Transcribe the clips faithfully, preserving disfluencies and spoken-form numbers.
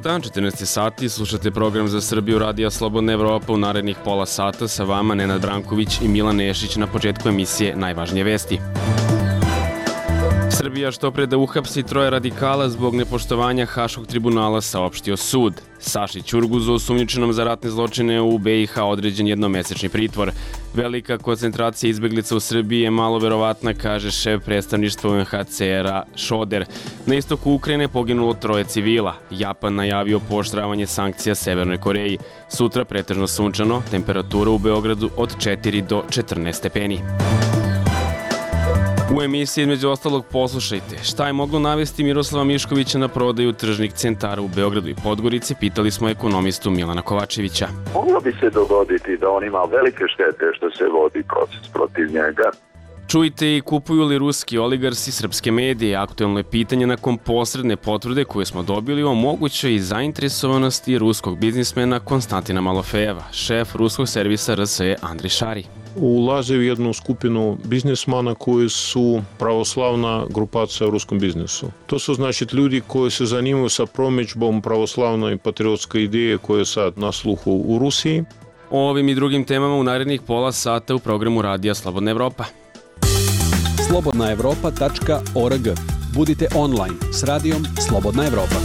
dan, četrnaest sati, slušate program za Srbiju Radija Slobodna Evropa. U narednih pola sata sa vama Nenad Branković i Milan Nešić. Na početku emisije najvažnije vesti. Srbija što pre da uhapsi troje radikala zbog nepoštovanja Haškog tribunala, saopštio sud. Saši Ćurguzu, osumnjičenom za ratne zločine u B i H, određen jednomesečni pritvor. Velika koncentracija izbeglica u Srbiji je malo verovatna, kaže šef predstavništva U N H C R-a Šoder. Na istoku Ukrajine poginulo troje civila. Japan najavio pooštravanje sankcija Severnoj Koreji. Sutra pretežno sunčano, temperatura u Beogradu od četiri do četrnaest stepeni. U emisiji između ostalog poslušajte šta je moglo navesti Miroslava Miškovića na prodaju tržnih centara u Beogradu i Podgorici, pitali smo ekonomistu Milana Kovačevića. Moglo bi se dogoditi da on ima velike štete što se vodi proces protiv njega. Čujte i kupuju li ruski oligarsi srpske medije. Aktuelno je pitanje nakon posredne potvrde koje smo dobili o mogućoj zainteresovanosti ruskog biznismena Konstantina Malofejeva. Šef ruskog servisa R S E Andrej Šari ulaze u jednu skupinu biznismana koji su pravoslavna grupacija u ruskom biznisu. To su znači ljudi koji se zanimaju sa promidžbom pravoslavne i patriotske ideje koje je sad na sluhu u Rusiji. O ovim i drugim temama u narednih pola sata u programu Radija Slobodna Evropa. slobodna evropa tačka org. Budite online s radijom Slobodna Evropa.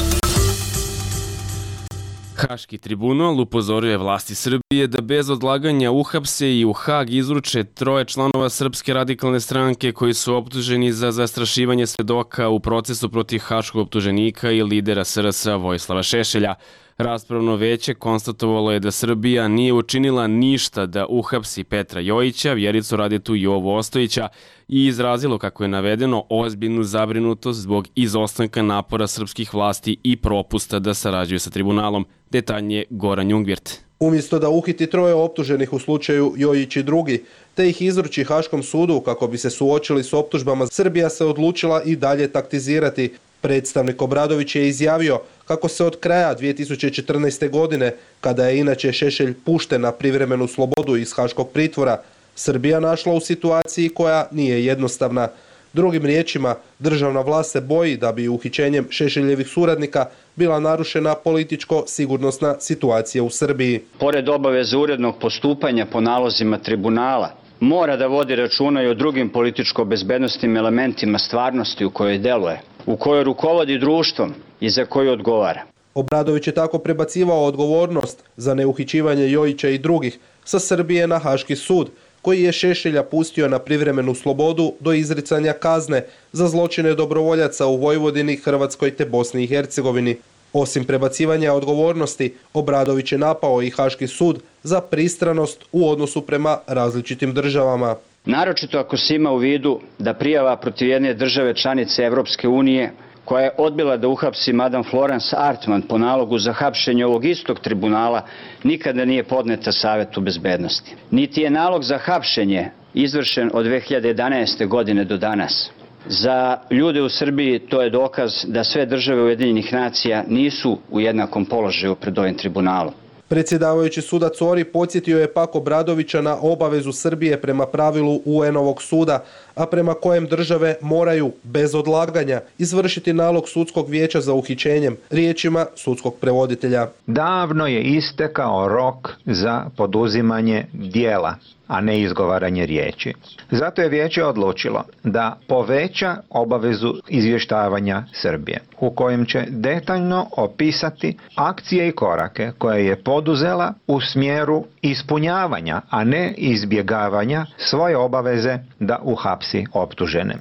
Haški tribunal upozoruje vlasti Srbije da bez odlaganja uhapse i u Hag izruče troje članova Srpske radikalne stranke koji su optuženi za zastrašivanje svedoka u procesu protiv haškog optuženika i lidera S R S-a Vojislava Šešelja. Raspravno veće konstatovalo je da Srbija nije učinila ništa da uhapsi Petra Jojića, Vjericu Radetu i Jovu Ostojića i izrazilo, kako je navedeno, ozbiljnu zabrinutost zbog izostanka napora srpskih vlasti i propusta da sarađuju sa tribunalom. Detaljnije Goran Jungvirt. Umjesto da uhiti troje optuženih u slučaju Jojić i drugi, te ih izruči Haškom sudu kako bi se suočili s optužbama, Srbija se odlučila i dalje taktizirati. Predstavnik Obradović je izjavio kako se od kraja dvije tisuće četrnaeste. godine, kada je inače Šešelj pušten na privremenu slobodu iz haškog pritvora, Srbija našla u situaciji koja nije jednostavna. Drugim riječima, državna vlast se boji da bi uhićenjem Šešeljevih suradnika bila narušena političko-sigurnosna situacija u Srbiji. Pored obaveze urednog postupanja po nalozima tribunala, mora da vodi računa i o drugim političko-bezbednostnim elementima stvarnosti u kojoj deluje, u kojoj rukovodi društvom i za koju odgovara. Obradović je tako prebacivao odgovornost za neuhićivanje Jojića i drugih sa Srbije na Haški sud, koji je Šešelja pustio na privremenu slobodu do izricanja kazne za zločine dobrovoljaca u Vojvodini, Hrvatskoj te Bosni i Hercegovini. Osim prebacivanja odgovornosti, Obradović je napao i Haški sud za pristranost u odnosu prema različitim državama. Naročito ako se ima u vidu da prijava protiv jedne države članice Evropske unije, koja je odbila da uhapsi madam Florence Artman po nalogu za hapšenje ovog istog tribunala, nikada nije podneta Savetu bezbednosti. Niti je nalog za hapšenje izvršen od dve hiljade jedanaeste. godine do danas. Za ljude u Srbiji to je dokaz da sve države Ujedinjenih nacija nisu u jednakom položaju pred ovim tribunalom. Predsjedavajući sudac Ori podsjetio je pak Obradovića na obavezu Srbije prema pravilu U N-ovog suda, a prema kojem države moraju, bez odlaganja, izvršiti nalog sudskog vijeća za uhićenjem, riječima sudskog prevoditelja. Davno je istekao rok za poduzimanje dijela, a ne izgovaranje riječi. Zato je vijeće odlučilo da poveća obavezu izvještavanja Srbije, u kojem će detaljno opisati akcije i korake koje je poduzela u smjeru ispunjavanja, a ne izbjegavanja svoje obaveze da uhapsi optužene.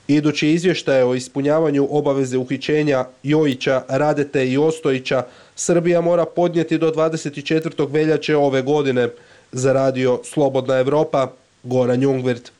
Idući izvještaj o ispunjavanju obaveze uhićenja Jojića, Radete i Ostojića Srbija mora podnijeti do dvadeset četvrtog veljače ove godine. Za radio Slobodna Evropa, Goran Jungvirt.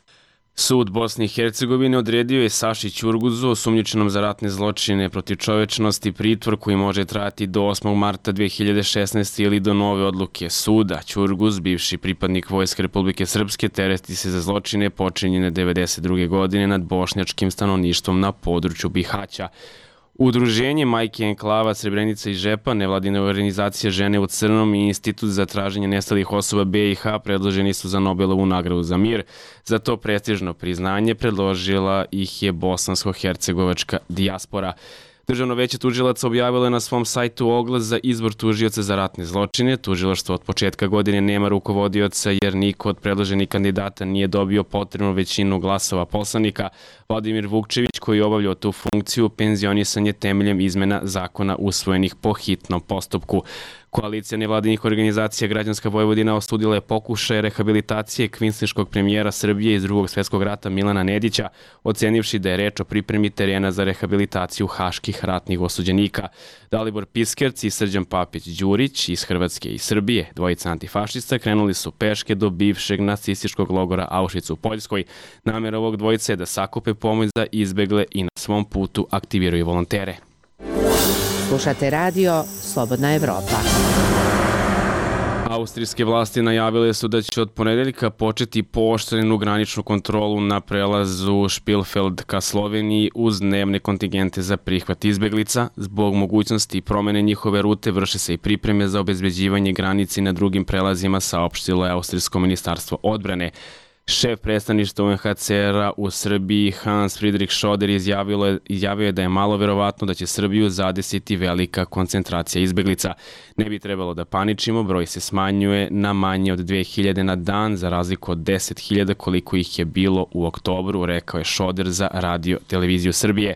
Sud Bosne i Hercegovine odredio je Saši Ćurguzu, osumnjičenom za ratne zločine protiv čovečnosti, pritvor koji može trajati do osmog marta dve hiljade šesnaeste. ili do nove odluke suda. Ćurguz, bivši pripadnik Vojske Republike Srpske, tereti se za zločine počinjene devedeset druge. godine nad bošnjačkim stanovništvom na području Bihaća. Udruženje Majke Enklava, Srebrenica i Žepa, nevladina organizacija Žene u crnom i Institut za traženje nestalih osoba B i H predloženi su za Nobelovu nagradu za mir. Za to prestižno priznanje predložila ih je bosansko-hercegovačka dijaspora. Državno veće tužilaca objavilo je na svom sajtu oglas za izbor tužioca za ratne zločine. Tužilaštvo od početka godine nema rukovodioca jer niko od predloženih kandidata nije dobio potrebnu većinu glasova poslanika. Vladimir Vukčević, koji je obavljao tu funkciju, penzionisan je temeljem izmena zakona usvojenih po hitnom postupku. Koalicija nevladinih organizacija Građanska Vojvodina osudila je pokušaj rehabilitacije kvinsliškog premijera Srbije iz Drugog svjetskog rata Milana Nedića, ocenivši da je reč o pripremi terena za rehabilitaciju haških ratnih osuđenika. Dalibor Piskerc i Srđan Papić-Đurić iz Hrvatske i Srbije, dvojica antifašista, krenuli su peške do bivšeg nacističkog logora Auschwitz u Poljskoj. Namera ovog dvojice je da sakupe pomoć za izbegle i na svom putu aktiviraju volontere. Slušate radio Slobodna Evropa. Austrijske vlasti najavile su da će od ponedeljka početi pooštrenu graničnu kontrolu na prelazu Špilfeld ka Sloveniji uz dnevne kontingente za prihvat izbeglica. Zbog mogućnosti promene njihove rute vrše se i pripreme za obezbeđivanje granici na drugim prelazima, saopštilo je Austrijsko ministarstvo odbrane. Šef predstavništva U N H C R-a u Srbiji Hans Friedrich Schoder izjavio je da je malo verovatno da će Srbiju zadesiti velika koncentracija izbeglica. Ne bi trebalo da paničimo, broj se smanjuje na manje od dve hiljade na dan, za razliku od deset hiljada koliko ih je bilo u oktobru, rekao je Schoder za Radio Televiziju Srbije.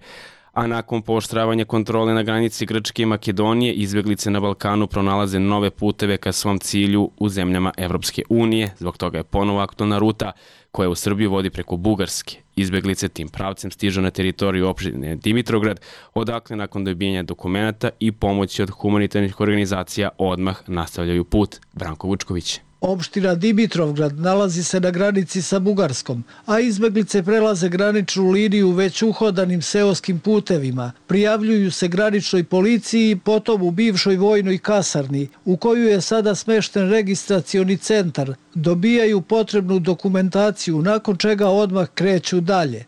A nakon pooštravanja kontrole na granici Grčke i Makedonije, izbeglice na Balkanu pronalaze nove puteve ka svom cilju u zemljama Evropske unije. Zbog toga je ponovo aktualna ruta koja u Srbiju vodi preko Bugarske. Izbeglice tim pravcem stižu na teritoriju opštine Dimitrograd, odakle nakon dobijanja dokumenata i pomoći od humanitarnih organizacija odmah nastavljaju put. Branko Vučković. Opština Dimitrovgrad nalazi se na granici sa Bugarskom, a izbeglice prelaze graničnu liniju već uhodanim seoskim putevima. Prijavljuju se graničnoj policiji, potom u bivšoj vojnoj kasarni, u koju je sada smešten registracioni centar. Dobijaju potrebnu dokumentaciju, nakon čega odmah kreću dalje.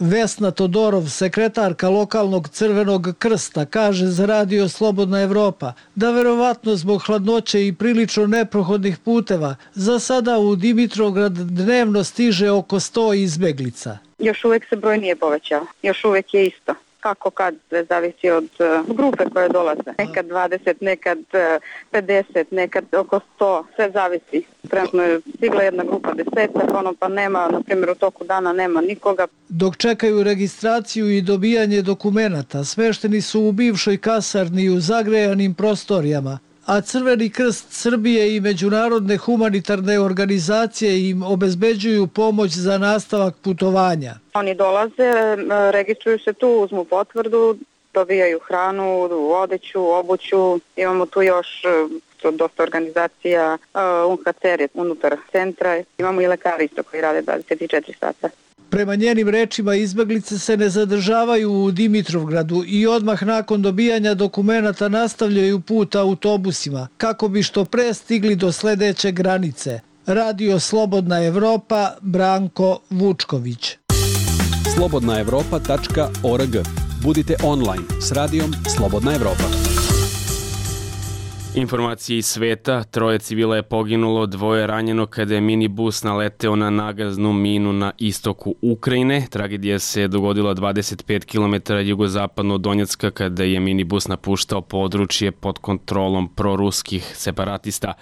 Vesna Todorov, sekretarka lokalnog Crvenog krsta, kaže za Radio Slobodna Evropa da verovatno zbog hladnoće i prilično neprohodnih puteva za sada u Dimitrograd dnevno stiže oko sto izbeglica. Još uvek se broj nije povećao, još uvek je isto. Kako kad, sve zavisi od uh, grupe koje dolaze. Nekad dvadeset, nekad uh, pedeset, nekad oko sto, sve zavisi. Trenutno je stigla jedna grupa desetak, ono pa nema, na primjer u toku dana nema nikoga. Dok čekaju registraciju i dobijanje dokumenata, smešteni su u bivšoj kasarni u zagrejanim prostorijama, a Crveni krst Srbije i međunarodne humanitarne organizacije im obezbeđuju pomoć za nastavak putovanja. Oni dolaze, registruju se tu, uzmu potvrdu, dobijaju hranu, odeću, obuću. Imamo tu još dosta organizacija, U N H C R je unutar centra, imamo i lekari isto koji rade dvadeset četiri sata. Prema njenim rečima, izbeglice se ne zadržavaju u Dimitrovgradu i odmah nakon dobijanja dokumenata nastavljaju put autobusima kako bi što pre stigli do sledeće granice. Radio Slobodna Evropa, Branko Vučković. slobodna evropa tačka org. Budite online s radijom Slobodna Evropa. Informacije iz sveta, troje civila je poginulo, dvoje ranjeno kada je minibus naleteo na nagaznu minu na istoku Ukrajine. Tragedija se dogodila dvadeset pet kilometara jugozapadno od Donjecka kada je minibus napuštao područje pod kontrolom proruskih separatista.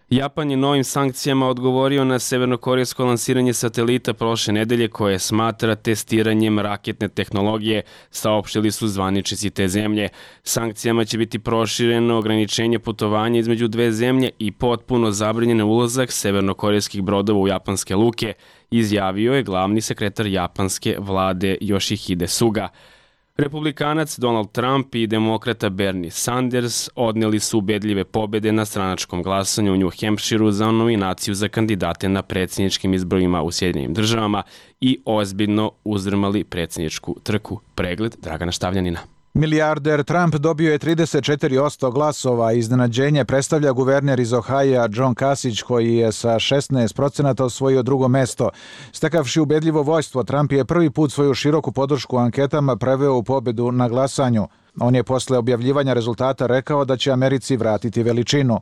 Japan je novim sankcijama odgovorio na severnokorejsko lansiranje satelita prošle nedelje koje smatra testiranjem raketne tehnologije, saopštili su zvaničnici te zemlje. Sankcijama će biti prošireno ograničenje putovanja između dve zemlje i potpuno zabranjen ulazak severnokorejskih brodova u japanske luke, izjavio je glavni sekretar japanske vlade Yoshihide Suga. Republikanac Donald Trump i demokrata Bernie Sanders odneli su ubedljive pobede na stranačkom glasanju u New Hampshireu za nominaciju za kandidate na predsjedničkim izborima u Sjedinjenim državama i ozbiljno uzdrmali predsjedničku trku. Pregled Dragana Štavljanina. Milijarder Trump dobio je trideset četiri posto glasova. Iznenađenje predstavlja guverner iz Ohaja John Kasich koji je sa šesnaest procenata osvojio drugo mesto. Stekavši ubedljivo vojstvo, Trump je prvi put svoju široku podršku anketama preveo u pobedu na glasanju. On je posle objavljivanja rezultata rekao da će Americi vratiti veličinu.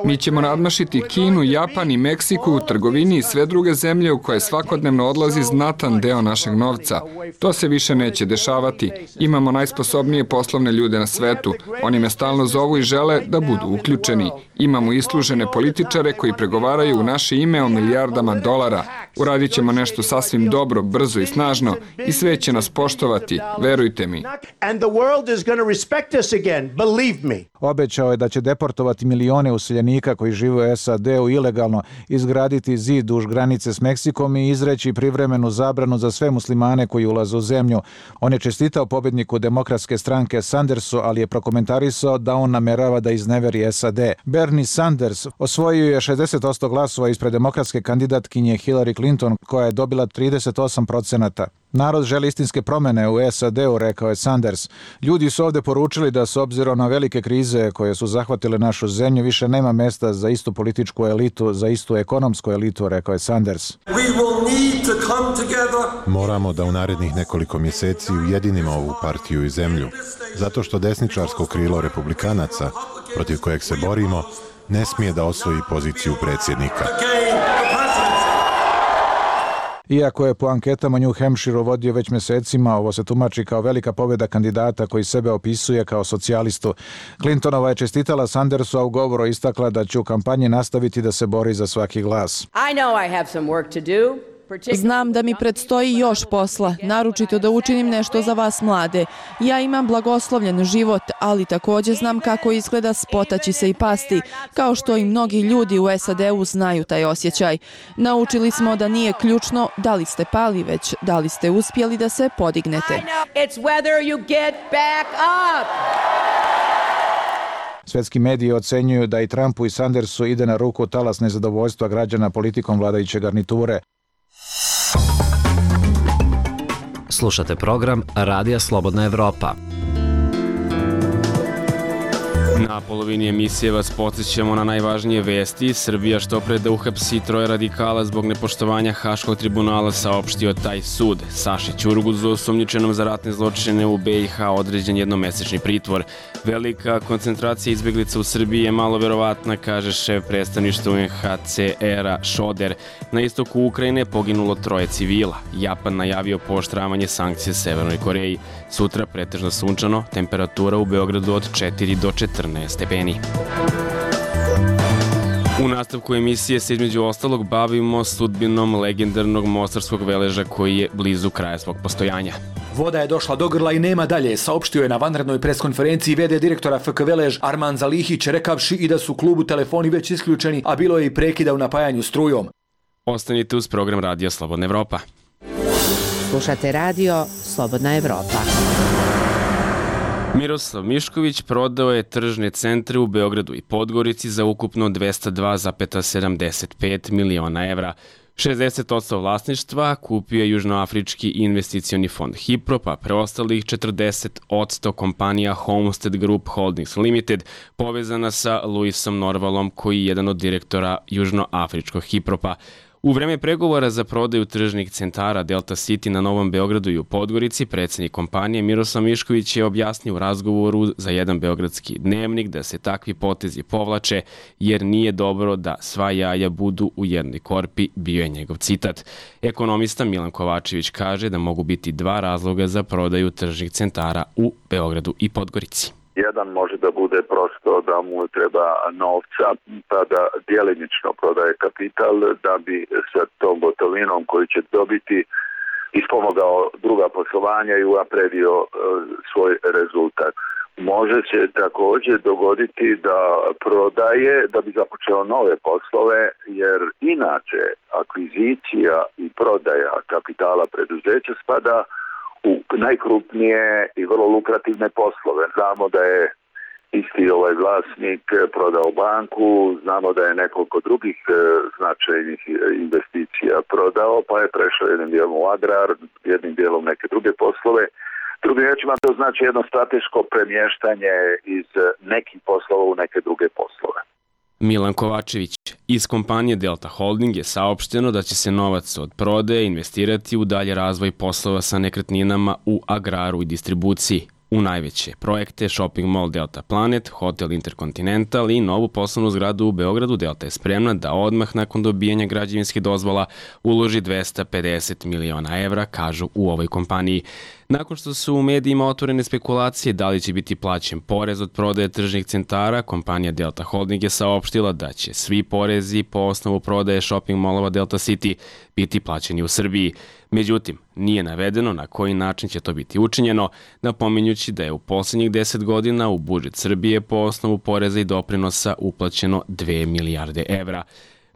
Mi ćemo nadmašiti Kinu, Japan i Meksiku u trgovini i sve druge zemlje u koje svakodnevno odlazi znatan deo našeg novca. To se više neće dešavati. Imamo najsposobnije poslovne ljude na svetu. Oni me stalno zovu i žele da budu uključeni. Imamo islužene političare koji pregovaraju u naše ime o milijardama dolara. Uradit ćemo nešto sasvim dobro, brzo i snažno i sve će nas poštovati, verujte mi. Obećao je da će deportovati milione useljenika koji žive u S A D-u ilegalno, izgraditi zid duž granice s Meksikom i izreći privremenu zabranu za sve muslimane koji ulaze u zemlju. On je čestitao pobedniku demokratske stranke Sandersu, ali je prokomentarisao da on namerava da izneveri S A D. Bernie Sanders osvojio je šezdeset posto glasova ispred demokratske kandidatkinje Hillary Clinton, koja je dobila trideset osam procenata. Narod želi istinske promene u S A D-u, rekao je Sanders. Ljudi su ovde poručili da s obzirom na velike krize koje su zahvatile našu zemlju, više nema mesta za istu političku elitu, za istu ekonomsku elitu, rekao je Sanders. Moramo da u narednih nekoliko mjeseci ujedinimo ovu partiju i zemlju, zato što desničarsko krilo republikanaca, protiv kojeg se borimo, ne smije da osvoji poziciju predsjednika. Iako je po anketama New Hampshire vodio već mjesecima, ovo se tumači kao velika pobjeda kandidata koji sebe opisuje kao socijalistu. Clintonova je čestitala Sandersu, a u govoru istakla da će u kampanji nastaviti da se bori za svaki glas. Znam da mi predstoji još posla, naročito da učinim nešto za vas mlade. Ja imam blagoslovljen život, ali također znam kako izgleda spotaći se i pasti, kao što i mnogi ljudi u S A D-u znaju taj osjećaj. Naučili smo da nije ključno da li ste pali, već da li ste uspjeli da se podignete. Svetski mediji ocenjuju da i Trumpu i Sandersu ide na ruku talas nezadovoljstva građana politikom vladajuće garniture. Slušate program Radija Slobodna Evropa. Na polovini emisije vas podsjećamo na najvažnije vesti. Srbija što pre da uhapsi troje radikala zbog nepoštovanja Haškog tribunala, saopštio taj sud. Saši Ćurguzu, osumnjičenom za ratne zločine u B i H, određen jednomesečni pritvor. Velika koncentracija izbjeglica u Srbiji je malo verovatna, kaže šef predstavništva U N H C R-a Šoder. Na istoku Ukrajine poginulo troje civila. Japan najavio pooštravanje sankcije Severnoj Koreji. Sutra pretežno sunčano, temperatura u Beogradu od četiri do četrnaest stepeni. U nastavku emisije se između ostalog bavimo sudbinom legendarnog mostarskog veleža koji je blizu kraja svog postojanja. Voda je došla do grla i nema dalje, saopštio je na vanrednoj preskonferenciji v d direktora F K Velež Arman Zalihić, rekavši i da su klubu telefoni već isključeni, a bilo je i prekida u napajanju strujom. Ostanite uz program Radija Slobodna Evropa. Slušate radio Slobodna Evropa. Miroslav Mišković prodao je tržne centre u Beogradu i Podgorici za ukupno dvesta dva zarez sedamdeset pet miliona evra. šezdeset posto vlasništva kupio je Južnoafrički investicioni fond Hiprop, a preostalih četrdeset posto kompanija Homestead Group Holdings Limited povezana sa Luisom Norvalom, koji je jedan od direktora Južnoafričkog Hipropa. U vreme pregovora za prodaju tržnih centara Delta City na Novom Beogradu i u Podgorici, predsjednik kompanije Miroslav Mišković je objasnio u razgovoru za jedan beogradski dnevnik da se takvi potezi povlače jer nije dobro da sva jaja budu u jednoj korpi, bio je njegov citat. Ekonomista Milan Kovačević kaže da mogu biti dva razloga za prodaju tržnih centara u Beogradu i Podgorici. Jedan može da bude prosto da mu treba novca, pa da djelimično prodaje kapital da bi sa tom gotovinom koju će dobiti ispomogao druga poslovanja i unapredio e, svoj rezultat. Može se također dogoditi da prodaje da bi započeo nove poslove, jer inače akvizicija i prodaja kapitala preduzeća spada u najkrupnije i vrlo lukrativne poslove. Znamo da je isti ovaj vlasnik prodao banku, znamo da je nekoliko drugih e, značajnih investicija prodao, pa je prešao jednim dijelom u agrar, jednim dijelom neke druge poslove. Drugim riječima, to znači jedno strateško premještanje iz nekih poslova u neke druge poslove. Milan Kovačević. Iz kompanije Delta Holding je saopšteno da će se novac od prodaje investirati u dalje razvoj poslova sa nekretninama u agraru i distribuciji. U najveće projekte Shopping Mall Delta Planet, Hotel Intercontinental i novu poslovnu zgradu u Beogradu Delta je spremna da odmah nakon dobijanja građevinskih dozvola uloži dvesta pedeset miliona evra, kažu u ovoj kompaniji. Nakon što su u medijima otvorene spekulacije da li će biti plaćen porez od prodaje tržnih centara, kompanija Delta Holding je saopštila da će svi porezi po osnovu prodaje shopping mallova Delta City biti plaćeni u Srbiji. Međutim, nije navedeno na koji način će to biti učinjeno, napominjući da je u poslednjih deset godina u budžet Srbije po osnovu poreza i doprinosa uplaćeno dve milijarde evra.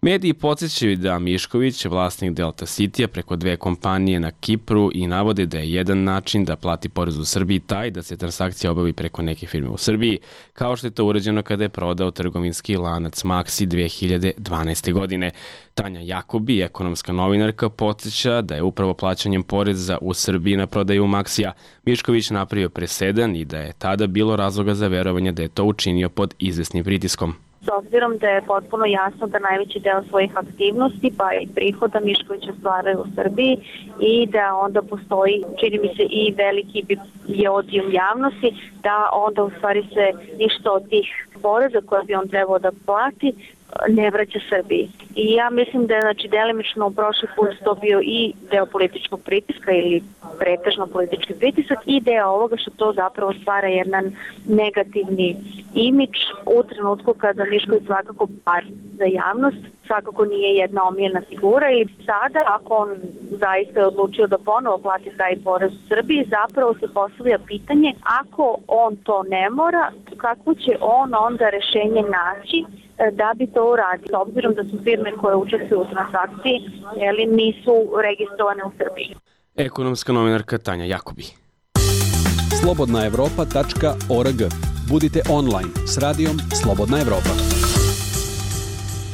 Mediji podsjećaju da Mišković, vlasnik Delta City-a preko dve kompanije na Kipru i navode da je jedan način da plati porez u Srbiji taj da se transakcija obavi preko neke firme u Srbiji, kao što je to urađeno kada je prodao trgovinski lanac Maxi dve hiljade dvanaeste. godine. Tanja Jakobi, ekonomska novinarka, podsjeća da je upravo plaćanjem poreza u Srbiji na prodaju Maxija Mišković napravio presedan i da je tada bilo razloga za verovanje da je to učinio pod izvesnim pritiskom. S obzirom da je potpuno jasno da najveći deo svojih aktivnosti pa i prihoda Miškovića stvaraju u Srbiji i da onda postoji, čini mi se, i veliki je odijum javnosti, da onda u stvari se ništa od tih poreza koje bi on trebao da plati ne vraća Srbiji. I ja mislim da je znači, delimično u prošli put to bio i deo političkog pritiska ili pretežno politički pritisak i deo ovoga što to zapravo stvara jedan negativni imidž u trenutku kada Mišković svakako bar za javnost svakako nije jedna omiljena figura i sada ako on zaista je odlučio da ponovo plati taj porez u Srbiji, zapravo se postavlja pitanje ako on to ne mora, kako će on onda rešenje naći da bi to uradio, s obzirom da su firme koje učestvuju u transakciji jeli, nisu registrovane u Srbiji. Ekonomska novinarka Tanja Jakobi. slobodna evropa tačka org. Budite online s radijom Slobodna Evropa.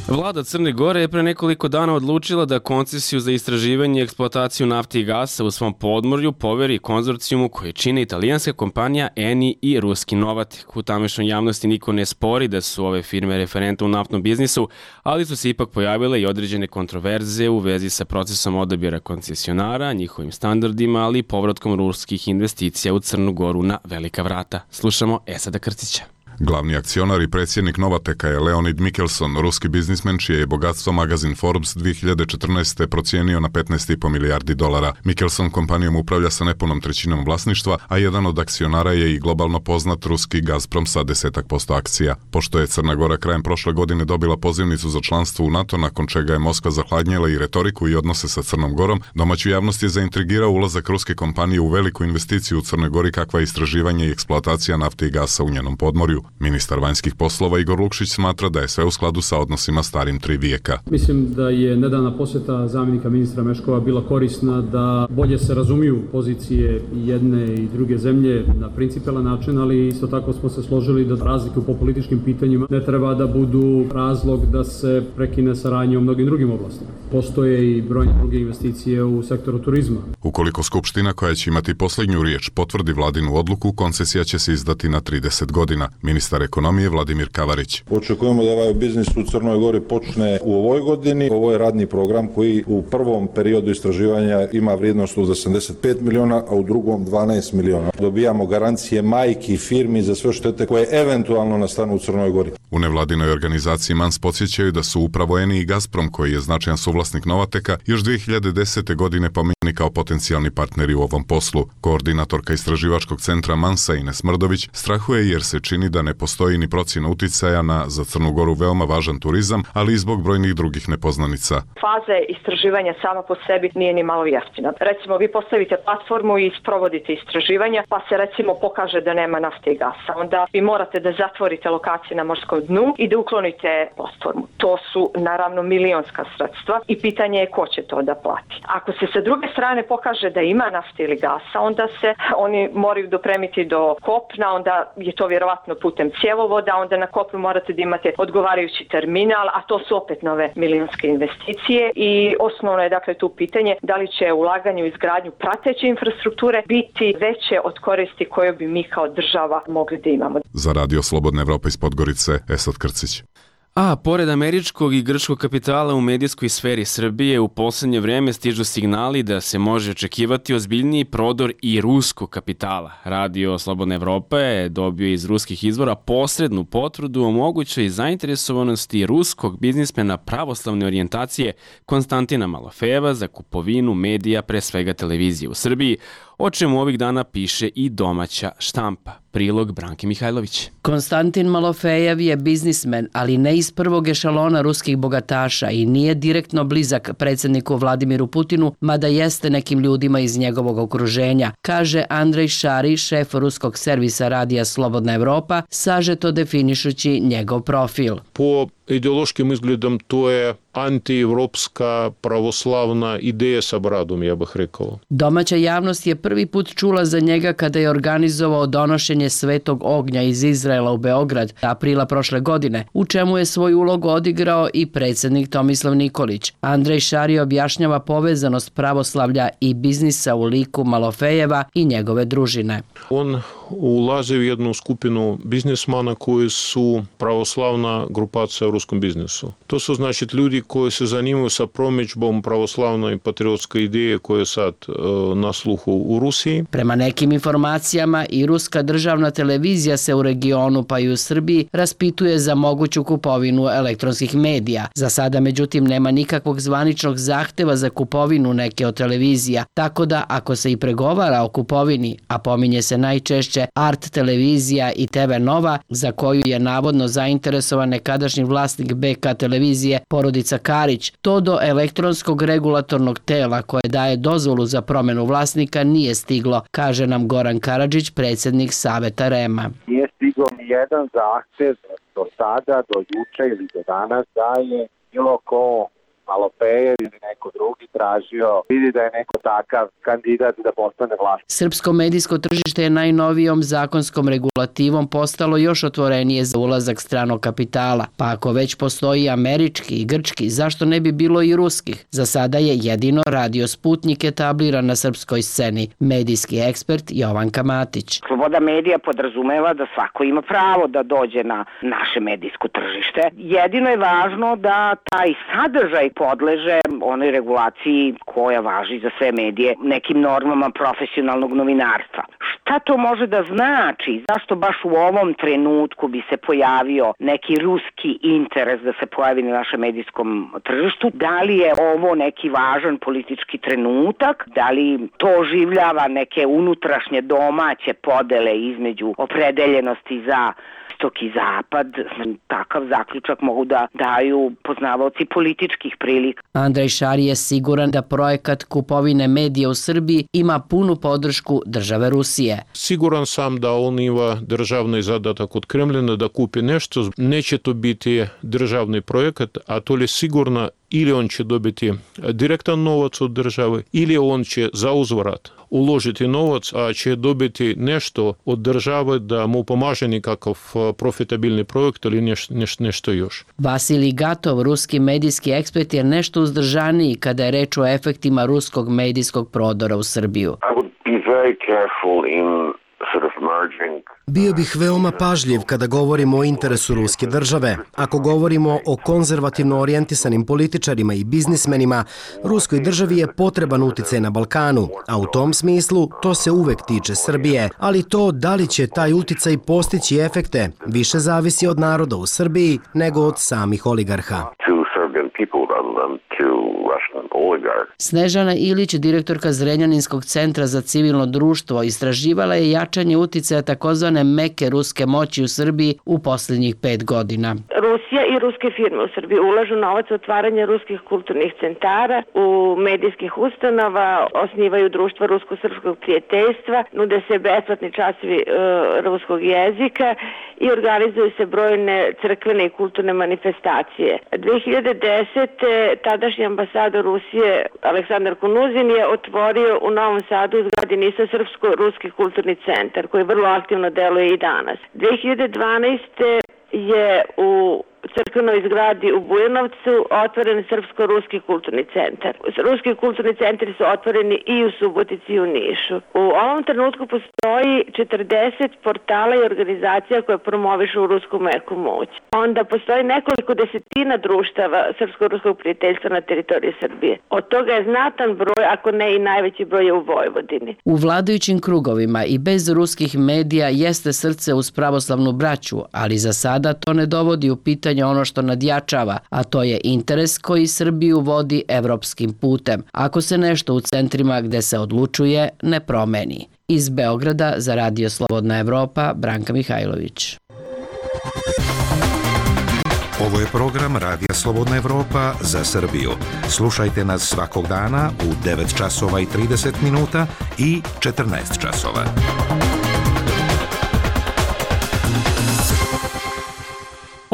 Vlada Crne Gore je pre nekoliko dana odlučila da koncesiju za istraživanje i eksploataciju nafte i gasa u svom podmorju poveri konzorcijumu koje čine italijanska kompanija Eni i ruski Novatek. U tamešnjoj javnosti niko ne spori da su ove firme referente u naftnom biznisu, ali su se ipak pojavile i određene kontroverze u vezi sa procesom odabira koncesionara, njihovim standardima, ali i povratkom ruskih investicija u Crnu Goru na velika vrata. Slušamo Esada Krcića. Glavni akcionar i predsjednik Novateka je Leonid Mikkelson, ruski biznismen čije je bogatstvo magazin Forbes dve hiljade četrnaeste. procijenio na petnaest i po milijardi dolara. Mikkelson kompanijom upravlja sa nepunom trećinom vlasništva, a jedan od akcionara je i globalno poznat ruski Gazprom sa desetak posto akcija. Pošto je Crna Gora krajem prošle godine dobila pozivnicu za članstvo u NATO, nakon čega je Moskva zahladnjela i retoriku i odnose sa Crnom Gorom, domaću javnost je zaintrigirao ulazak ruske kompanije u veliku investiciju u Crnoj Gori kakva je istraživanje i eksploatacija nafte i gasa u njenom podmorju. Ministar vanjskih poslova Igor Lukšić smatra da je sve u skladu sa odnosima starim tri vijeka. Mislim da je nedavna posjeta zamjenika ministra Meškova bila korisna da bolje se razumiju pozicije jedne i druge zemlje na principijelan način, ali isto tako smo se složili da razlike po političkim pitanjima ne treba da budu razlog da se prekine saradnja u mnogim drugim oblastima. Postoje i brojne druge investicije u sektoru turizma. Ukoliko Skupština, koja će imati posljednju riječ, potvrdi vladinu odluku, koncesija će se izdati na trideset godina. Ministar ekonomije Vladimir Kavarić. Očekujemo da ovaj biznis u Crnoj Gori počne u ovoj godini. Ovo je radni program koji u prvom periodu istraživanja ima vrijednost od osamdeset pet miliona, a u drugom dvanaest miliona. Dobijamo garancije majki firmi za sve štete koje eventualno nastanu u Crnoj Gori. U nevladinoj organizaciji Mans podsjećaju da su upravo Eni i Gazprom, koji je značajan suvlasnik Novateka, još dve hiljade desete. godine pominjeni kao potencijalni partneri u ovom poslu. Koordinatorka istraživačkog centra Mansa Ines Mrdović strahuje jer se čini da ne postoji ni procjena uticaja na za Crnu Goru veoma važan turizam, ali i zbog brojnih drugih nepoznanica. Faza istraživanja sama po sebi nije ni malo jeftina. Recimo, vi postavite platformu i sprovodite istraživanja, pa se recimo pokaže da nema nafte i gasa. Onda vi morate da zatvorite lokacije na morskom dnu i da uklonite platformu. To su naravno milionska sredstva i pitanje je ko će to da plati. Ako se sa druge strane pokaže da ima nafte ili gasa, onda se oni moraju dopremiti do kopna, onda je to vjerovatno putem cjevovoda, onda na kopnu morate da imate odgovarajući terminal, a to su opet nove milionske investicije i osnovno je dakle tu pitanje da li će ulaganje u izgradnju prateće infrastrukture biti veće od koristi koje bi mi kao država mogli da imamo. Za Radio Slobodna Evropa iz Podgorice, Esad Krcić. A pored američkog i grčkog kapitala u medijskoj sferi Srbije u poslednje vreme stižu signali da se može očekivati ozbiljniji prodor i ruskog kapitala. Radio Slobodna Evropa je dobio iz ruskih izvora posrednu potvrdu o mogućoj zainteresovanosti ruskog biznismena pravoslavne orijentacije Konstantina Malofejeva za kupovinu medija, pre svega televizije u Srbiji, o čemu ovih dana piše i domaća štampa. Prilog Branke Mihajlović. Konstantin Malofejev je biznismen, ali ne iz prvog ešalona ruskih bogataša i nije direktno blizak predsjedniku Vladimiru Putinu, mada jeste nekim ljudima iz njegovog okruženja, kaže Andrej Šari, šef ruskog servisa radija Slobodna Evropa, sažeto definišući njegov profil. Po ideološkim izgledom to je antievropska pravoslavna ideja sa bradom, ja bih rekao. Domaća javnost je prvi put čula za njega kada je organizovao donošenje Svetog ognja iz Izraela u Beograd aprila prošle godine, u čemu je svoj ulog odigrao i predsjednik Tomislav Nikolić. Andrej Šari objašnjava povezanost pravoslavlja i biznisa u liku Malofejeva i njegove družine. On ulazi u jednu skupinu biznismana koji su pravoslavna grupacija u ruskom biznisu. To su znači ljudi koji se zanimaju sa promidžbom pravoslavne i patriotske ideje koje je sad e, na sluhu u Rusiji. Prema nekim informacijama i ruska državna televizija se u regionu pa i u Srbiji raspituje za moguću kupovinu elektronskih medija. Za sada međutim nema nikakvog zvaničnog zahteva za kupovinu neke od televizija, tako da ako se i pregovara o kupovini, a pominje se najčešće Art televizija i T V Nova, za koju je navodno zainteresovan nekadašnji vlasnik B K televizije porodica Karić, to do elektronskog regulatornog tela koje daje dozvolu za promjenu vlasnika nije stiglo, kaže nam Goran Karadžić, predsjednik Saveta R E M-a. Nije stiglo ni jedan zahtev do sada, do juče ili do danas da je bilo ko Malofejev ili neko drugi tražio, vidi da je neko takav kandidat da postane vlast. Srpsko medijsko tržište je najnovijom zakonskom regulativom postalo još otvorenije za ulazak stranog kapitala, pa ako već postoji američki i grčki, zašto ne bi bilo i ruskih? Za sada je jedino Radio Sputnik etabliran na srpskoj sceni, medijski ekspert Jovanka Matić. Sloboda medija podrazumeva da svako ima pravo da dođe na naše medijsko tržište. Jedino je važno da taj sadržaj podleže onoj regulaciji koja važi za sve medije, nekim normama profesionalnog novinarstva. Šta to može da znači? Zašto baš u ovom trenutku bi se pojavio neki ruski interes da se pojavi na našem medijskom tržištu? Da li je ovo neki važan politički trenutak? Da li to oživljava neke unutrašnje domaće podele između opredeljenosti za istok i zapad? Takav zaključak mogu da daju poznavaoci političkih prilika. Andrej Šari je siguran da projekat kupovine medija u Srbiji ima punu podršku države Rusije. Siguran sam da on ima državni zadatak od Kremljina da kupi nešto. Neće to biti državni projekat, a to je sigurno ili on će dobiti direktan novac od države, ili on će za uzvrat uložiti novac, a će dobiti nešto od države da mu pomaže nekakav profitabilni projekt ili neš, neš, nešto još. Vasilij Gatov, ruski medijski ekspert, je nešto uzdržaniji kada je reč o efektima ruskog medijskog prodora u Srbiju. I would be very careful in sort of merging. Bio bih veoma pažljiv kada govorimo o interesu ruske države. Ako govorimo o konzervativno orijentisanim političarima i biznismenima, ruskoj državi je potreban uticaj na Balkanu, a u tom smislu to se uvek tiče Srbije. Ali to da li će taj uticaj postići efekte više zavisi od naroda u Srbiji nego od samih oligarha. Snežana Ilić, direktorka Zrenjaninskog centra za civilno društvo, istraživala je jačanje uticaja takozvane meke ruske moći u Srbiji u posljednjih pet godina. Rusija i ruske firme u Srbiji ulažu novac u otvaranje ruskih kulturnih centara, u medijskih ustanova, osnivaju društva rusko-srpskog prijateljstva, nude se besplatni časovi e, ruskog jezika i organizuju se brojne crkvene i kulturne manifestacije. dve hiljade desete. tadašnji ambasador Rusije Aleksandar Kunuzin je otvorio u Novom Sadu u zgradi NIS-a Srpsko-ruski kulturni centar koji vrlo aktivno deluje i danas. dve hiljade dvanaeste. je u crkvenoj zgradi u Bujanovcu otvoren Srpsko-ruski kulturni centar. Ruski kulturni centri su otvoreni i u Subotici i u Nišu. U ovom trenutku postoji četrdeset portala i organizacija koje promovišu rusku meku moć. Onda postoji nekoliko desetina društava Srpsko-ruskog prijateljstva na teritoriji Srbije. Od toga je znatan broj, ako ne i najveći broj je u Vojvodini. U vladajućim krugovima i bez ruskih medija jeste srce uz pravoslavnu braću, ali za sada to ne dovodi u pitanje ono što nadjačava, a to je interes koji Srbiju vodi evropskim putem, ako se nešto u centrima gde se odlučuje ne promeni. Iz Beograda za Radio Slobodna Evropa, Branka Mihajlović. Ovo je program Radija Slobodna Evropa za Srbiju. Slušajte nas svakog dana u devet časova i trideset minuta i četrnaest časova.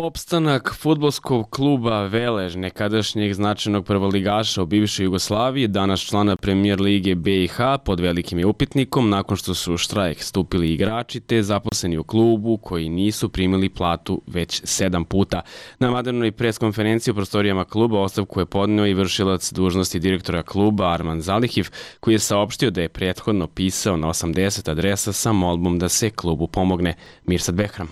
Opstanak fudbalskog kluba Velež, nekadašnjeg značajnog prvoligaša u bivšoj Jugoslaviji, danas člana Premijer lige B i H, pod velikim je upitnikom nakon što su u štrajk stupili igrači te zaposleni u klubu koji nisu primili platu već sedam puta. Na vanrednoj preskonferenciji u prostorijama kluba ostavku je podneo i vršilac dužnosti direktora kluba Arman Zalihiv, koji je saopštio da je prethodno pisao na osamdeset adresa sa molbom da se klubu pomogne. Mirsad Behram.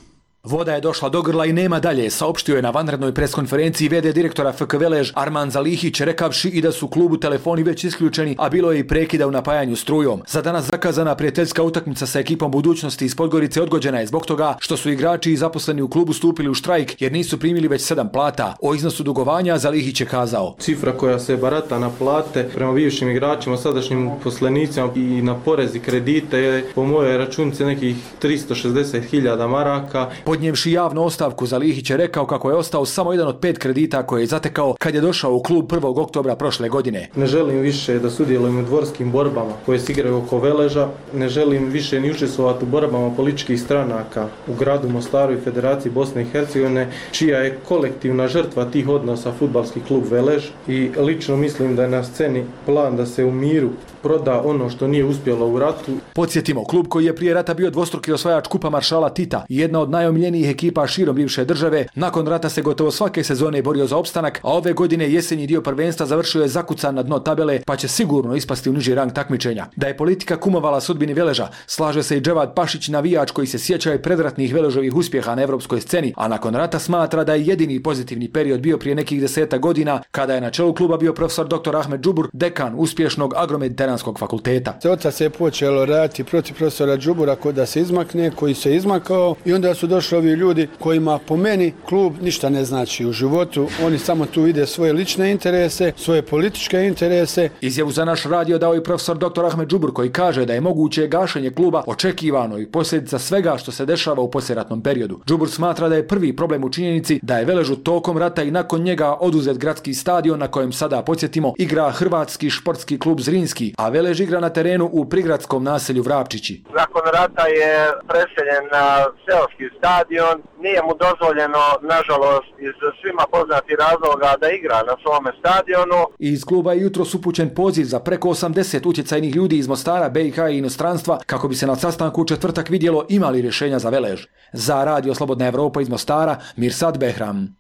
Voda je došla do grla i nema dalje, saopštio je na vanrednoj preskonferenciji v d direktora F K Velež Arman Zalihić, rekavši i da su klubu telefoni već isključeni, a bilo je i prekida u napajanju strujom. Za danas zakazana prijateljska utakmica sa ekipom budućnosti iz Podgorice odgođena je zbog toga što su igrači i zaposleni u klubu stupili u štrajk jer nisu primili već sedam plata. O iznosu dugovanja Zalihić je kazao: Cifra koja se barata na plate prema bivšim igračima, sadašnjim poslenicima i na porezi kredite je po mojoj računici nekih tristo šezdeset hiljada maraka. Podnijevši javnu ostavku, Zalihić je rekao kako je ostao samo jedan od pet kredita koje je zatekao kad je došao u klub prvog oktobra prošle godine. Ne želim više da sudjelujem u dvorskim borbama koje se igraju oko Veleža, ne želim više ni učestvovati u borbama političkih stranaka u gradu Mostaru i Federaciji Bosne i Hercegovine, čija je kolektivna žrtva tih odnosa fudbalski klub Velež, i lično mislim da je na sceni plan da se u miru proda ono što nije uspjelo u ratu. Podsjetimo, klub koji je prije rata bio dvostruki osvajač kupa maršala Tita i jedna od najomiljenijih ekipa širom bivše države, nakon rata se gotovo svake sezone borio za opstanak, a ove godine jesenji dio prvenstva završio je zakucan na dno tabele, pa će sigurno ispasti u niži rang takmičenja. Da je politika kumovala sudbini Veleža, slaže se i Dževad Pašić, navijač koji se sjeća i predratnih Veležovih uspjeha na evropskoj sceni, a nakon rata smatra da je jedini pozitivni period bio prije nekih deseta godina, kada je na čelu kluba bio profesor doktor Ahmed Džubur, dekan uspješnog agromediteranskog fakulteta. Oca se je počelo raditi protiv profesora Džubura ko da se izmakne, koji se izmakao, i onda su došli ovi ljudi kojima po meni klub ništa ne znači u životu, oni samo tu vide svoje lične interese, svoje političke interese. Izjavu za naš radio dao i profesor doktor Ahmed Džubur, koji kaže da je moguće gašenje kluba očekivano i posljedica svega što se dešava u poslijeratnom periodu. Džubur smatra da je prvi problem u činjenici da je Veležu tokom rata i nakon njega oduzet gradski stadion na kojem sada, podsjetimo, igra Hrvatski športski klub Zrinski, a Velež igra na terenu u prigradskom naselju Vrapčići. Nakon rata je preseljen na seoski stadion, nije mu dozvoljeno, nažalost, iz svima poznatih razloga da igra na svome stadionu. Iz kluba je jutros upućen poziv za preko osamdeset utjecajnih ljudi iz Mostara, B i H i inostranstva kako bi se na sastanku u četvrtak vidjelo ima li rješenja za Velež. Za Radio Slobodna Evropa iz Mostara, Mirsad Behram.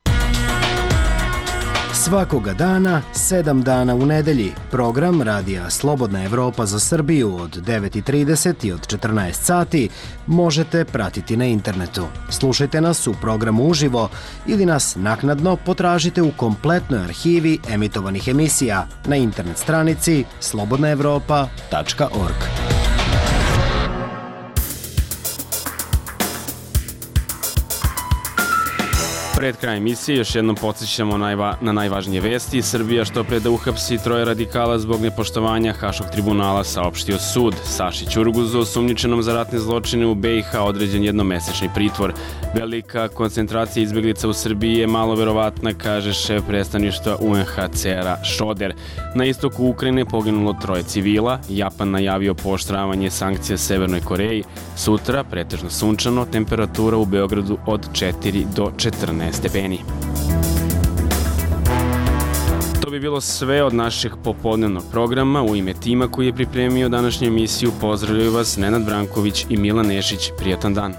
Svakoga dana, sedam dana u nedelji, program Radija Slobodna Evropa za Srbiju od devet i trideset i od četrnaest sati možete pratiti na internetu. Slušajte nas u programu uživo ili nas naknadno potražite u kompletnoj arhivi emitovanih emisija na internet stranici slobodna evropa tačka org. Pred kraj emisije još jednom podsjećamo najva, na najvažnije vesti. Srbija što pre da uhapsi troje radikala zbog nepoštovanja Haškog tribunala, saopštio sud. Saši Ćurguzu, osumnjičenom za ratne zločine u B i H, određen jednomesečni pritvor. Velika koncentracija izbjeglica u Srbiji je malo verovatna, kaže šef predstavništva U N H C R-a Šoder. Na istoku Ukrajine poginulo troje civila. Japan najavio pooštravanje sankcija Severnoj Koreji. Sutra pretežno sunčano, temperatura u Beogradu od četiri do četrnaest stepeni. To bi bilo sve od našeg popodnevnog programa. U ime tima koji je pripremio današnju emisiju pozdravljaju vas Nenad Branković i Milan Nešić. Prijatan dan.